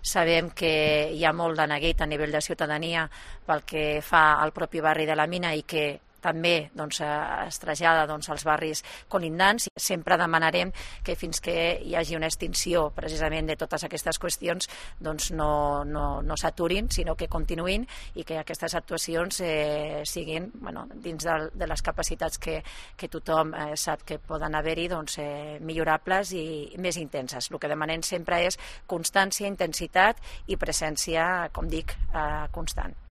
Sabem que hi ha molt de neguit a nivell de ciutadania pel que fa al propi barri de la Mina i que també es trasllada als barris colindants. Sempre demanarem que fins que hi hagi una extinció precisament de totes aquestes qüestions no s'aturin, sinó que continuïn i que aquestes actuacions siguin dins de les capacitats que tothom sap que poden haver-hi millorables i més intenses. El que demanem sempre és constància, intensitat i presència, com dic, constant.